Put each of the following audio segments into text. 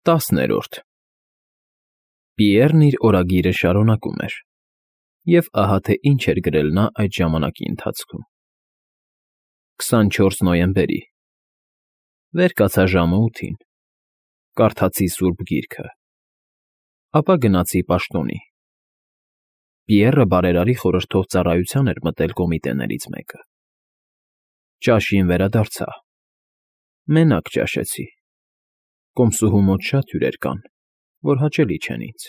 10-րդ Պիեռն իր օրագիրը շարունակում էր, և ահա թե ինչ էր գրել նա այդ ժամանակի ընթացքում. 24 նոյեմբերի Վեր կացա ժամը 8-ին, կարդացի Սուրբ Գիրքը, ապա գնացի պաշտոնի։ Պիեռը բարերարի խորհրդով ծառայության էր մտել կոմիտեներից մեկը։ Ճաշին վերադարձա։ Մենակ ճաշեցի։ Կոմսուհու մոտ շատ հյուրեր կան, որ հաճելի չեն ինձ։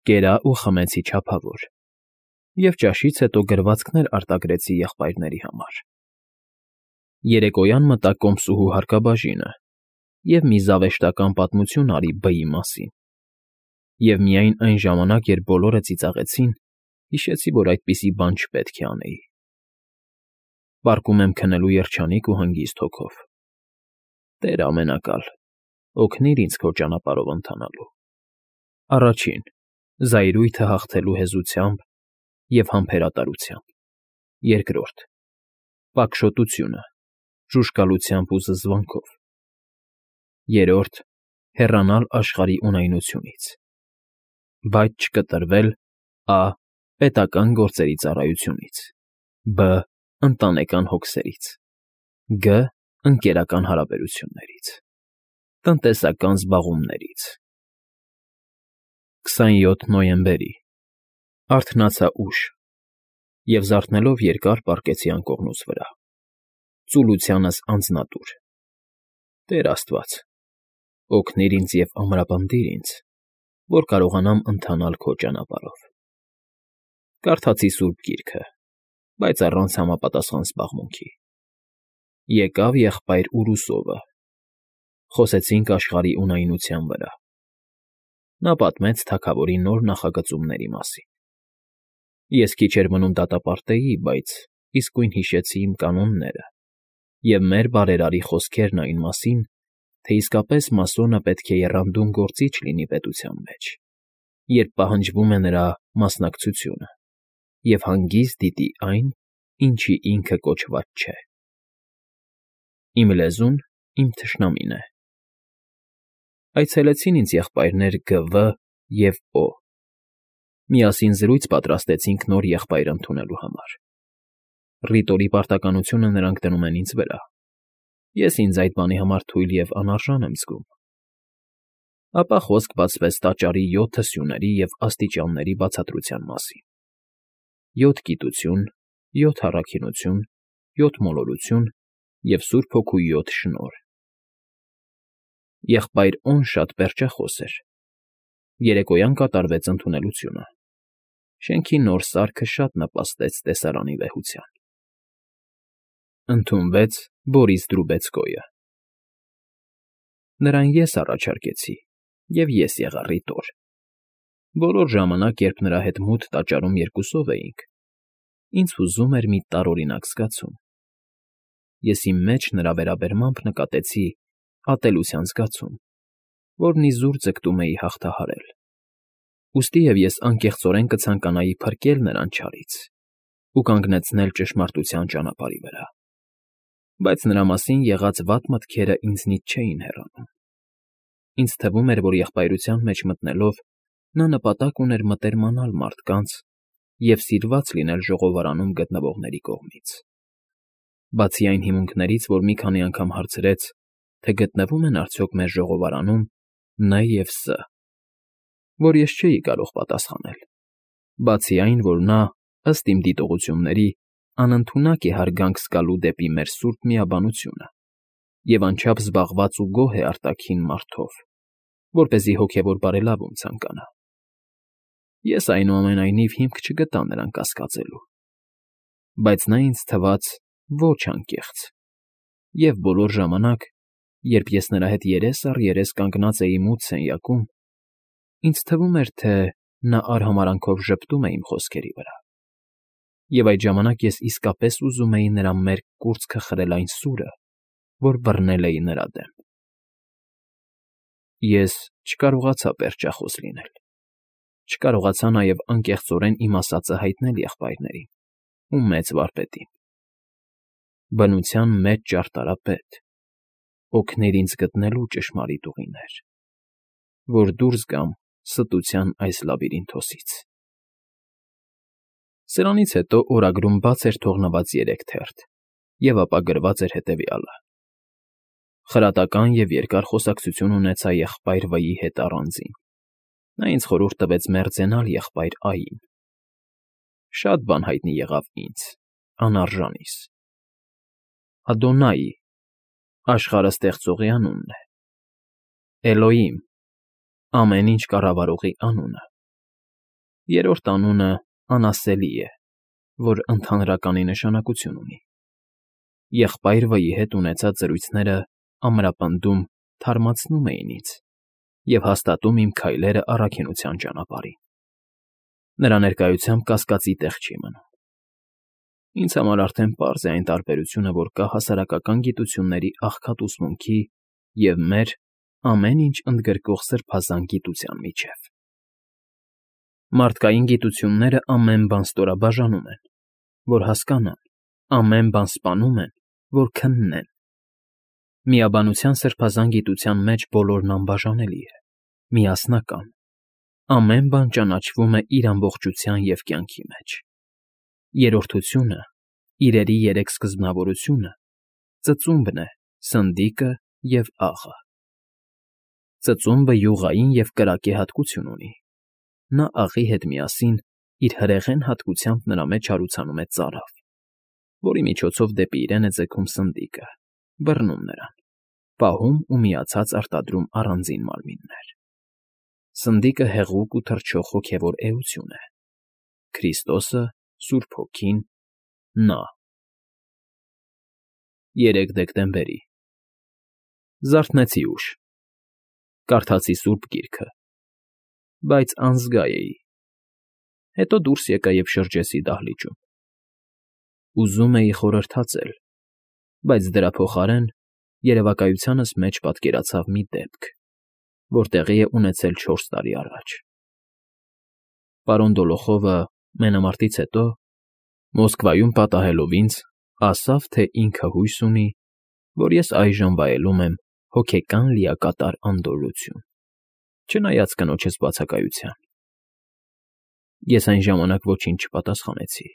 Կերա ու խմեցի չափավոր, և ճաշից հետո գրվածքներ արտագրեցի եղբայրների համար։ Երեկոյան մտա կոմսուհու հարկաբաժինը և մի զավեշտական պատմություն արի B-ի մասին, և միայն այն ժամանակ, երբ բոլորը ծիծաղեցին, հիշեցի, որ այդպիսի բան չպետք է անեի։ Պառկում եմ քնելու երջանիկ ու հանգիստ հոգով։ Տեր ամենակալ, օգնիր ինձ քո ճանապարհով ընթանալու։ Առաջին՝ զայրույթը հաղթելու հեզությամբ և համբերատարությամբ։ Երկրորդ՝ պակշոտությունը, ժուժկալությամբ ու զզվանքով։ Երրորդ՝ հեռանալ աշխարհի ունայնությունից, բայց չկտրվել ա. պետական գործերի ծառայությունից, բ. ընտանեկան հոգսերից, գ. ընկերական հարաբերություններից, տնտեսական զբաղումներից։ 27 նոյեմբերի Արթնացա ուշ և զարթնելով երկար պառկեցի անկողնուց վրա, ծուլությանս անձնատուր։ Տեր Աստված, օգնիր ինձ և ամրապնդիր ինձ, որ կարողանամ ընթանալ քո ճանապարհով։ Կարդացի Սուրբ Գիրքը, բայց առանց համապատասխան զբաղմունքի։ Եկավ եղբայր Ուրուսովը։ Խոսեցինք աշխարհի ունայնության վրա։ Նա պատմեց թագավորի նոր նախագծումների մասին։ Ես քիչ էր մնում դատապարտեի, բայց իսկույն հիշեցի իմ կանոնները և մեր բարերարի խոսքերն այն մասին, թե իսկապես մասոնը պետք է եռանդուն գործիչ լինի պետության մեջ, երբ պահանջվում է նրա մասնակցությունը, և հանգիստ դիտի այն, ինչի ինքը կոչված չէ։ Իմ լեզուն իմ թշնամին է։ Այցելեցին ինձ եղբայրներ Գ.V. և Օ. Միասին զրույց պատրաստեցինք նոր եղբայր ընդունելու համար։ Ռիտորի պարտականությունը նրանք դնում են ինձ վրա։ Ես ինձ այդ բանի համար թույլ և անարժան եմ զգում։ Ապա խոսք բացվեց տաճարի 7 սյուների և աստիճանների բացատրության մասին. 7 գիտություն, 7 առաքինություն, 7 մոլորություն և Սուրբ Հոգու 7 շնորհ։ Եղբայր Օ.֊ն շատ պերճախոս էր։ Երեկոյան կատարվեց ընդունելությունը։ Շենքի նոր սարքը շատ նպաստեց տեսարանի վեհությանը։ Ընդունվեց Բորիս Դրուբեցկոյը։ Նրան ես առաջարկեցի, և ես եղա ռիտոր։ Բոլոր ժամանակ, երբ նրա հետ մութ տաճարում երկուսով էինք, ինձ հուզում էր մի տարօրինակ զգացում։ Ես իմ մեջ նրա վերաբերմամբ նկատեցի ատելության զգացում, որն իզուր ձգտում էի հաղթահարել։ Ուստիև ես անկեղծորեն կցանկանայի փրկել նրան չարից ու կանգնեցնել ճշմարտության ճանապարհի վրա։ Բայց նրա մասին եղած վատ մտքերը ինձնից չէին հեռանում։ Ինձ թվում էր, որ եղբայրության մեջ մտնելով՝ նա նպատակ ուներ մտերմանալ մարդկանց և սիրված լինել ժողովարանում գտնվողների կողմից։ Բացի այն հիմունքներից, որ մի քանի անգամ հարցրեց, թե գտնվո՞ւմ են արդյոք մեր ժողովարանում Ն և Ս, որ ես չէի կարող պատասխանել։ Բացի այն, որ նա, ըստ իմ դիտողությունների, անընդունակ է հարգանք զգալու դեպի մեր սուրբ միաբանությունը և անչափ զբաղված ու գոհ է արտաքին մարդով, որպեսզի հոգևոր բարելավում ցանկանա։ Ես, այնուամենայնիվ, հիմք չգտա նրան կասկածելու։ Բայց նա ինձ թվաց ոչ անկեղծ, և բոլոր ժամանակ, երբ ես նրա հետ երես առ երես կանգնած էի մութ սենյակում, ինձ թվում էր, թե նա արհամարհանքով ժպտում է իմ խոսքերի վրա։ Եվ այդ ժամանակ ես իսկապես ուզում էի նրա մերկ կուրծքը խրել այն սուրը, որ բռնել էի նրա դեմ։ Ես չկարողացա պերճախոս լինել։ Չկարողացա նաև անկեղծորեն իմ ասածը հայտնել եղբայրներին ու մեծ վարպետին։ Բնության մեջ ճարտարապետ, օգնիր ինձ գտնելու ճշմարիտ ուղիներ։ որ դուրս գամ ստության այս լաբիրինթոսից։ Սրանից հետո օրագրում բաց էր թողնված 3 թերթ, և ապա գրված էր հետևյալը. «Խրատական և երկար խոսակցություն ունեցա եղբայր Վ-ի հետ առանձին։ Նա ինձ խորհուրդ տվեց մերձենալ եղբայր Ա֊ին. շատ բան հայտնի եղավ ինձ, անարժանիս։ Ադոնայի, աշխարհը ստեղծողի անունն է, Էլոհիմ, ամեն ինչ կառավարողի անունը, երրորդ անունը անասելի է, որ ընդհանրականի նշանակություն ունի։ Եղբայր Վ-ի հետ ունեցած զրույցները ամրապնդում, թարմացնում էին ինձ և հաստատում իմ քայլերը առաքինության ճանապարհին։ Նրա ներկայությամբ կասկածի տեղ չի մնում։ Ինձ համար արդեն պարզ է այն տարբերությունը, որ կա հասարակական գիտությունների աղքատ ուսմունքի և մեր ամեն ինչ ընդգրկող սրբազան գիտության միջև։ Մարդկային գիտությունները ամեն բան ստորաբաժանում են, որ հասկանան, ամեն բան սպանում են, որ քննեն։ Միաբանության սրբազան գիտության մեջ բոլորն անբաժանելի է, միասնական, ամեն բան ճանաչվում է իր ամբողջության և կյանքի մեջ։ Երրորդությունը, իրերի 3 սկզբնավորությունը, ծծումբն է, սնդիկը և աղը։ Ծծումբը յուղային և կրակե հատկություն ունի։ Նա աղի հետ միասին իր հրեղեն հատկությամբ նրա մեջ հարուցանում է ծարավ, որի միջոցով դեպի իրեն է ձգում սնդիկը, բռնում նրան, պահում ու միացած արտադրում առանձին մարմիններ։ Սնդիկը հեղուկ ու թռչող հոգևոր էություն է։ Քրիստոսը, Սուրբ Հոգին, նա։ 3 դեկտեմբերի զարթնեցի ուշ, կարդացի Սուրբ Գիրքը, բայց անզգա էի։ Հետո դուրս եկա և շրջեցի դահլիճում։ Ուզում էի խորհրդածել, բայց դրա փոխարեն երևակայությանս մեջ պատկերացավ մի դեպք, որ տեղի է ունեցել 4 տարի առաջ։ Պարոն Դոլոխովը մենամարտից հետո, Մոսկվայում պատահելով ինձ, ասավ, թե ինքը հույս ունի, որ ես այժմ վայելում եմ հոգեկան լիակատար անդորրություն, չնայած կնոջս բացակայության։ Ես այն ժամանակ ոչինչ չպատասխանեցի։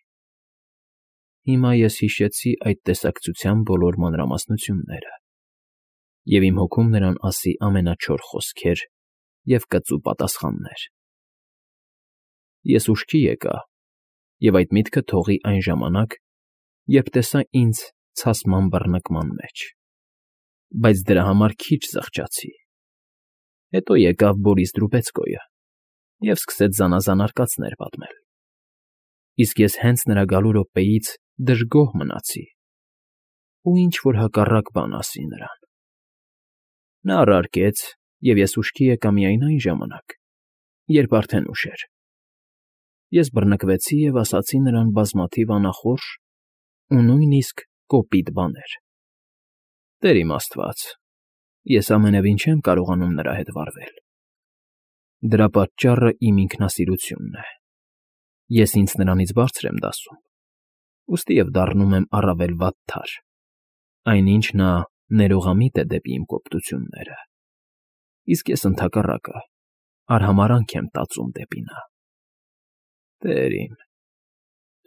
Հիմա ես հիշեցի այդ տեսակցության բոլոր մանրամասնությունները և իմ հոգում նրան ասի ամենաչոր խոսքեր և կծու պատասխաններ։ Ես ուշքի եկա և այդ միտքը թողի այն ժամանակ, երբ տեսա ինձ ցասման բռնկման մեջ, բայց դրա համար քիչ զղջացի։ Հետո եկավ Բորիս Դրուբեցկոյը և սկսեց զանազան արկածներ պատմել։ Իսկ ես հենց նրա գալու րոպեից դժգոհ մնացի ու ինչ֊որ հակառակ բան ասի նրան։ Նա առարկեց, և ես ուշքի եկա միայն այն ժամանակ, երբ արդեն ուշ էր։ Ես բռնկվեցի և ասացի նրան բազմաթիվ անախորժ ու նույնիսկ կոպիտ բաներ։ Տեր իմ Աստված, ես ամենևին չեմ կարողանում նրա հետ վարվել։ Դրա պատճառը իմ ինքնասիրությունն է։ Ես ինձ նրանից բարձր եմ դասում, ուստի և դառնում եմ առավել վատթար, այնինչ նա ներողամիտ է դեպի իմ կոպտությունները, իսկ ես ընդհակառակը արհամարհանք եմ տածում դեպի նա։ Տեր իմ,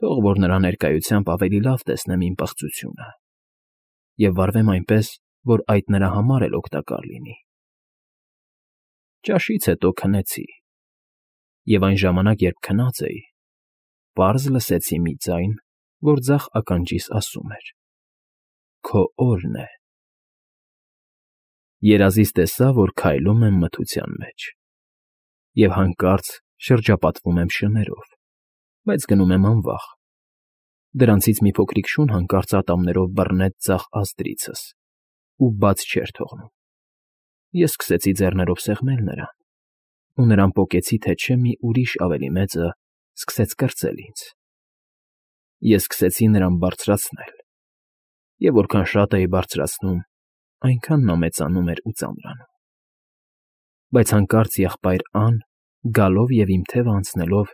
թող որ նրա ներկայությամբ ավելի լավ տեսնեմ իմ պղծությունը և վարվեմ այնպես, որ այդ նրա համար էլ օգտակար լինի։ Ճաշից հետո քնեցի, և այն ժամանակ, երբ քնած էի, պարզ լսեցի մի ձայն, որ ձախ ականջիս ասում էր. «Քո օրն է»։ Երազից տեսա, որ քայլում եմ մթության մեջ և հանկարծ շրջապատվում եմ շներով, բայց գնում եմ անվախ։ Դրանցից մի փոքրիկ շուն հանկարծ ատամներով բռնեց ձախ ազդրիցս ու բաց չէր թողնում։ Ես սկսեցի ձեռներով սեղմել նրան, ու նրան պոկեցի, թե չէ մի ուրիշ ավելի մեծը սկսեց կրծել ինձ։ Ես սկսեցի նրան բարձրացնել, և որքան շատ էի բարձրացնում, այնքան նա մեծանում էր ու ծանրանում։ Բայց հանկարծ եղբայր Ան, գալով և իմ թևը անցնելով,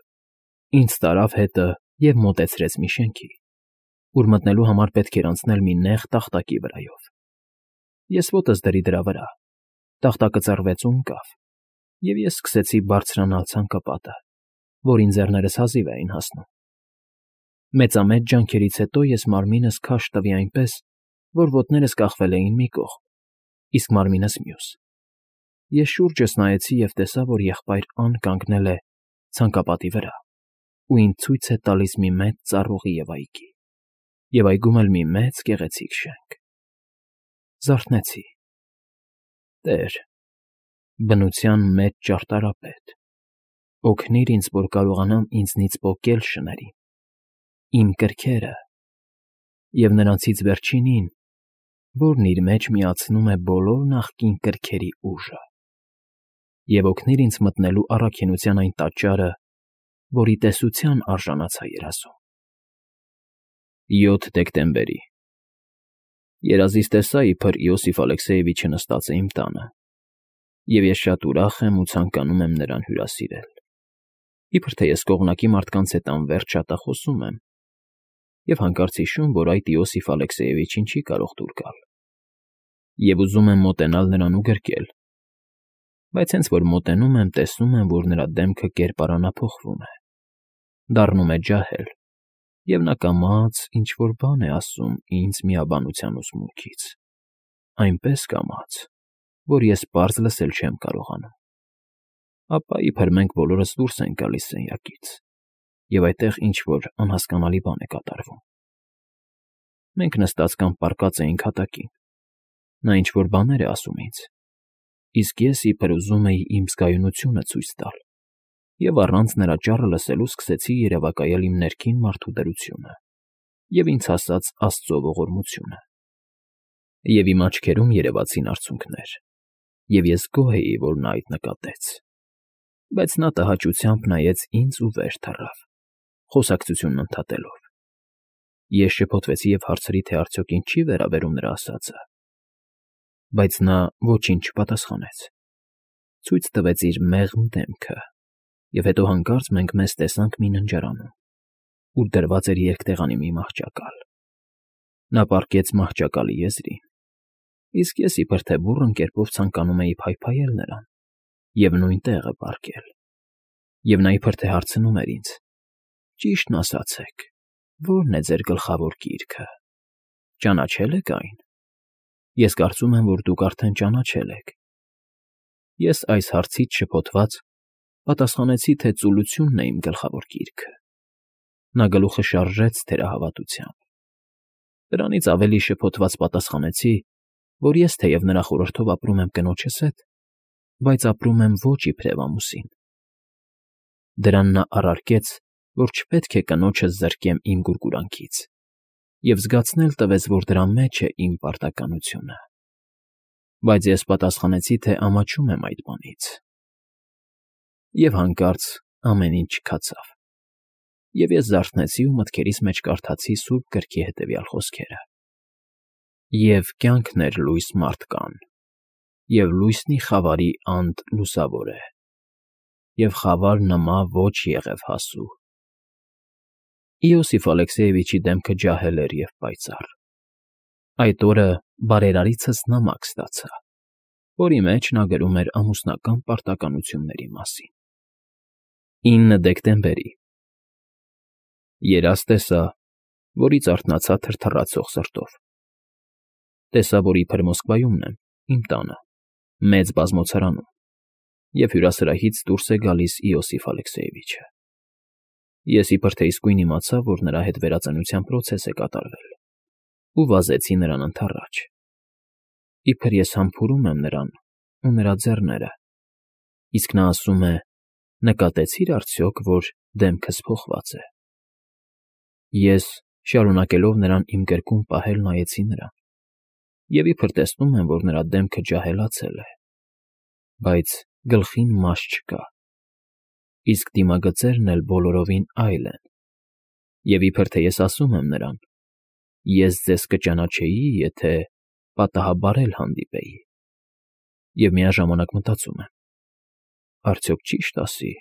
ինձ տարավ հետը և մոտեցրեց մի շենքի, ուր մտնելու համար պետք էր անցնել մի նեղ տախտակի վրայով։ Ես ոտս դրի դրա վրա, տախտակը ծռվեց ու ընկավ, Եվ ես սկսեցի բարձրանալ ցանկապատը, որին ձեռներս հազիվ էին հասնում։ Մեծամեծ ջանքերից հետո ես մարմինս քաշ տվի այնպես, որ ոտներս կախվել էին մի կողմ, իսկ մարմինս՝ մյուս։ Ես շուրջս նայեցի և տեսա, որ եղբայր Ան կանգնել է ցանկապատի վրա ու ինձ ցույց է տալիս մի մեծ ծառուղի և այգի, և այգում էլ մի մեծ գեղեցիկ շենք։ Զարթնեցի. «Տեր, բնության մեծ ճարտարապետ, օգնիր ինձ, որ կարողանամ ինձնից պոկել շներին, իմ կրքերը և նրանցից վերջինին, որն իր մեջ միացնում է բոլոր նախկին կրքերի ուժը, և օգնիր ինձ մտնելու առաքինության այն տաճարը, որի տեսության արժանացա երազում»։ 7 դեկտեմբերի Երազից տեսա, իբր Իոսիֆ Ալեքսեևիչը նստած է իմ տանը, և ես շատ ուրախ եմ ու ցանկանում եմ նրան հյուրասիրել, իբր թե ես կողմնակի մարդկանց հետ անվերջ շատախոսում եմ, և հանկարծ հիշում, որ այդ Իոսիֆ Ալեքսեևիչին չի կարող դուր գալ, և ուզում եմ մոտենալ նրան ու գրկել, բայց հենց որ մոտենում եմ, տեսնում եմ, որ նրա դեմքը կերպարանափոխվում է, դառնում է ջահել, և նա կամաց ինչ֊որ բան է ասում ինձ միաբանության ուսմունքից, այնպես կամաց, որ ես պարզ լսել չեմ կարողանում։ Ապա իբր մենք բոլորս դուրս ենք գալիս սենյակից, և այդտեղ ինչ֊որ անհասկանալի բան է կատարվում։ Մենք նստած կամ պառկած էինք հատակին, նա ինչ֊որ բաներ է ասում ինձ, իսկ ես իբր ուզում էի իմ զգայունությունը ցույց տալ, և առանց նրա ճառը լսելու սկսեցի երևակայել իմ ներքին մարդու դրությունը և ինձ հասած Աստծո ողորմությունը։ Եվ իմ աչքերում երևացին արցունքներ, և ես գոհ էի, որ նա այդ նկատեց, բայց նա տհաճությամբ նայեց ինձ ու վեր թռավ, խոսակցությունն ընդհատելով։ Ես շփոթվեցի և հարցրի, թե արդյոք ինձ չի վերաբերում նրա ասածը, բայց նա ոչինչ չպատասխանեց, ցույց տվեց իր մեղմ դեմքը, և հետո հանկարծ մենք մեզ տեսանք մի ննջարանում, ուր դրված էր երկտեղանի մի մահճակալ։ Նա պառկեց մահճակալի եզրին, իսկ ես իբր թե բուռն կերպով ցանկանում էի փայփայել նրան և նույն տեղը պառկել, և նա իբր թե հարցնում էր ինձ. «Ճիշտն ասացեք, ո՞րն է ձեր գլխավոր գիրքը, ճանաչե՞լ եք այն»։ Ես կարծում եմ, որ դուք արդեն ճանաչել եք։ Ես այս հարցից շփոթված պատասխանեցի, թե ծուլությունն է իմ գլխավոր գիրքը։ Նա գլուխը շարժեց թերահավատությամբ։ Դրանից ավելի շփոթված պատասխանեցի, որ ես թեև նրա խորհրդով ապրում եմ կնոջս հետ, բայց ապրում եմ ոչ իբրև ամուսին։ Դրան նա առարկեց, որ չպետք է կնոջս զրկեմ իմ գուրգուրանքից, և զգացնել տվեց, որ դրա մեջ է իմ պարտականությունը։ Բայց ես պատասխանեցի, թե ամաչում եմ այդ բանից։ Եվ հանկարծ ամեն ինչ չքացավ, և ես զարթնեցի ու մտքերիս մեջ կարդացի Սուրբ Գրքի հետևյալ խոսքերը. «Եվ կյանքն էր լույս մարդկան, և լույսնի խավարի անդ լուսավոր է, և խավար նմա ոչ եղև հասու»։ Իոսիֆ Ալեքսեևիչի դեմքը ջահել էր և պայծառ։ Այդ օրը բարերարիցս նամակ ստացա, որի մեջ նա գրում էր ամուսնական պարտականությունների մասին։ 9 դեկտեմբերի Երազ տեսա, որից արթնացա թրթռացող սրտով։ Տեսա, որ իբր Մոսկվայումն եմ, իմ տանը, մեծ բազմոցարանում, և հյուրասրահից դուրս է գալիս Իոսիֆ Ալեքսեևիչը։ Ես իբր թե իսկույն իմացա, որ նրա հետ վերածնության պրոցես է կատարվել, ու վազեցի նրան ընդառաջ։ Իբր ես համբուրում եմ նրան ու նրա ձեռները, իսկ նա ասում է. «Նկատեցի՞ր արդյոք, որ դեմքս փոխված է»։ Ես, շարունակելով նրան իմ գրկում պահել, նայեցի նրան, և իբր տեսնում եմ, որ նրա դեմքը ջահելացել է, բայց գլխին մաշ չկա, իսկ դիմագծերն էլ բոլորովին այլ են, և իբր թե ես ասում եմ նրան. «Ես ձեզ կճանաչեի, եթե պատահաբար էլ հանդիպեի», և միաժամանակ մտածում եմ. «Արդյոք ճի՞շտ ասի»։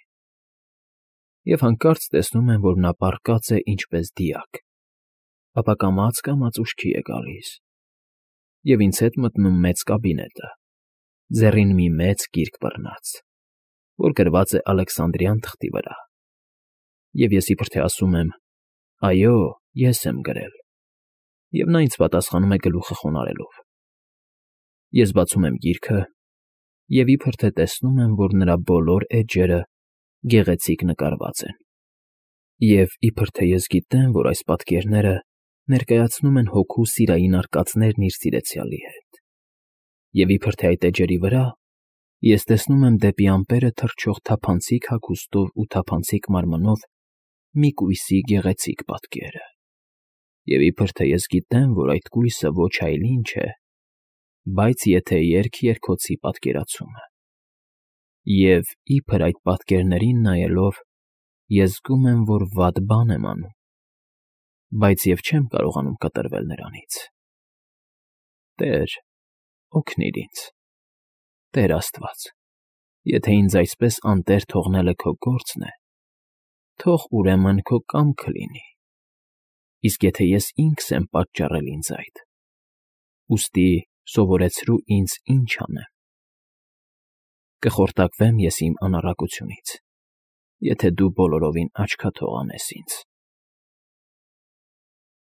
Եվ հանկարծ տեսնում եմ, որ նա պառկած է ինչպես դիակ, ապա կամաց ուշքի է գալիս, և ինձ հետ մտնում մեծ կաբինետը, ձեռին մի մեծ գիրք բռնած։ որ գրված է Ալեքսանդրյան թղթի վրա։ Եվ ես իբրև թե ասում եմ. «Այո, ես եմ գրել», և նա ինձ պատասխանում է գլուխը խոնարհելով։ Ես բացում եմ գիրքը և իբրև թե տեսնում եմ, որ նրա բոլոր էջերը գեղեցիկ նկարված են, և իբրև թե ես գիտեմ, որ այս պատկերները ներկայացնում են հոգու սիրային արկածներն իր սիրեցյալի հետ, և իբրև թե այդ էջերի վրա ես տեսնում եմ դեպի ամպերը թռչող թափանցիկ հագուստով ու թափանցիկ մարմնով մի կույսի գեղեցիկ պատկերը, և իբրև թե ես գիտեմ, որ այդ կույսը ոչ այլ ինչ է, բայց եթե երգ-երգոցի պատկերացումը, և իբր այդ պատկերներին նայելով ես զգում եմ, որ վատ բան եմ անում, բայց և չեմ կարողանում կտրվել նրանից։ Տե՛ր, օգնիր ինձ, Տեր աստված, եթե ինձ այսպես անտեր թողնելը քո գործն է, թող ուրեմն քո կամքը լինի, իսկ եթե ես ինքս եմ պատճառել ինձ այդ, ուստի սովորեցրու ինձ ինչ անեմ։ Կխորտակվեմ ես իմ անառակությունից, եթե դու բոլորովին աչքաթող անես ինձ։